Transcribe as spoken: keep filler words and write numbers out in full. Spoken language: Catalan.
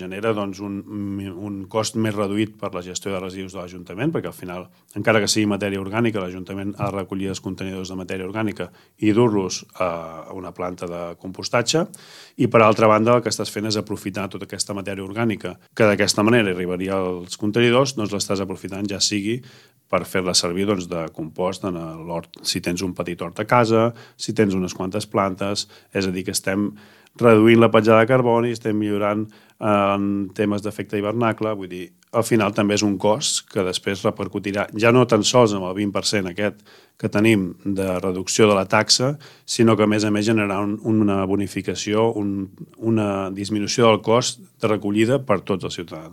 genera doncs, un, un cost més reduït per la gestió de residus de l'Ajuntament, perquè al final, encara que sigui matèria orgànica, l'Ajuntament ha de recollir els contenidors de matèria orgànica i dur-los a una planta de compostatge, i per altra banda el que estàs fent és aprofitar tota aquesta matèria orgànica que d'aquesta manera arribaria als contenidors, doncs l'estàs aprofitant ja sigui per fer-la servir doncs, de compost en l'hort, si tens un petit hort a casa, si tens unes quantes plantes, és a dir, que estem reduint la petjada de carboni, estem millorant en temes d'efecte hivernacle, vull dir, al final també és un cost que després repercutirà ja no tan sols amb el vint per cent aquest que tenim de reducció de la taxa, sinó que a més a més generarà un, una bonificació, un, una disminució del cost de recollida per tots els ciutadans.